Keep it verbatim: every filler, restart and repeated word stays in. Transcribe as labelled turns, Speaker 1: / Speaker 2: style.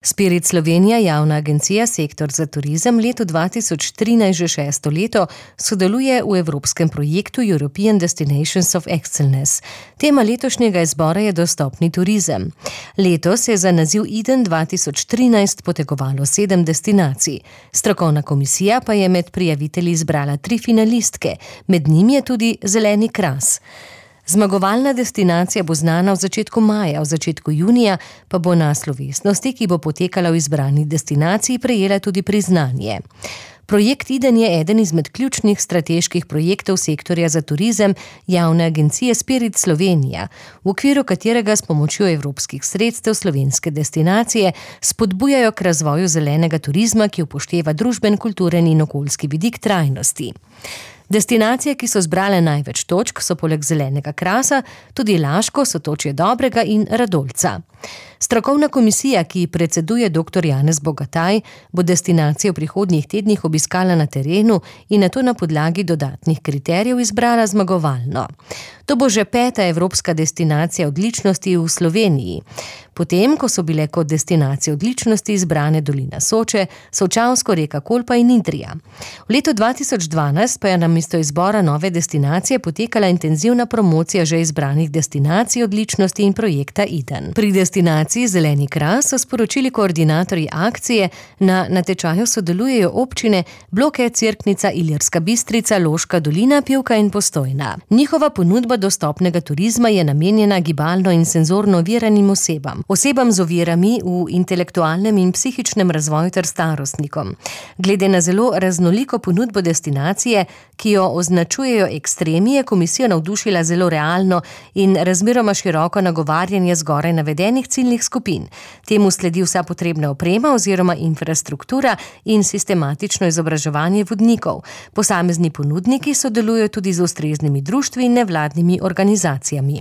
Speaker 1: Spirit Slovenija, javna agencija Sektor za turizem, leto dva tisoč trinajst že šesto leto sodeluje v evropskem projektu European Destinations of Excellence. Tema letošnjega izbora je dostopni turizem. Letos je za naziv Eden dva tisoč trinajst potegovalo sedem destinacij. Strokovna komisija pa je med prijavitelji izbrala tri finalistke, med njimi je tudi Zeleni Kras. Zmagovalna destinacija bo znana v začetku maja, v začetku junija pa bo na slovesnosti, ki bo potekala v izbrani destinaciji, prejela tudi priznanje. Projekt Eden je eden izmed ključnih strateških projektov sektorja za turizem javne agencije Spirit Slovenija, v okviru katerega s pomočjo evropskih sredstev slovenske destinacije spodbujajo k razvoju zelenega turizma, ki upošteva družben, kulturen in okoljski vidik trajnosti. Destinacije, ki so zbrale največ točk, so poleg Zelenega Krasa tudi Laško, Sotočje Dobrega in Radolca. Strokovna komisija, ki predseduje doktor Janez Bogataj, bo destinacijo v prihodnjih tednih obiskala na terenu in nato na podlagi dodatnih kriterijev izbrala zmagovalno. To bo že peta evropska destinacija odličnosti v Sloveniji. Potem, ko so bile kot destinacije odličnosti izbrane dolina Soče, Solčavsko, reka Kolpa in Idrija. V letu dva tisoč dvanajst pa je namesto izbora nove destinacije potekala intenzivna promocija že izbranih destinacij odličnosti in projekta Eden. Pri destinaciji Zeleni Kras so sporočili koordinatorji akcije, na natečaju sodelujejo občine Bloke, Cerknica, Ilirska Bistrica, Loška dolina, Pivka in Postojna. Njihova ponudba dostopnega turizma je namenjena gibalno in senzorno oviranim osebam, osebam z ovirami v intelektualnem in psihičnem razvoju ter starostnikom. Glede na zelo raznoliko ponudbo destinacije, ki jo označujejo ekstremi, je komisija navdušila zelo realno in razmeroma široko nagovarjanje zgoraj navedenih ciljnih skupin. Temu sledi vsa potrebna oprema oziroma infrastruktura in sistematično izobraževanje vodnikov. Posamezni ponudniki sodelujejo tudi z ustreznimi društvi in nevladnimi organizacijami.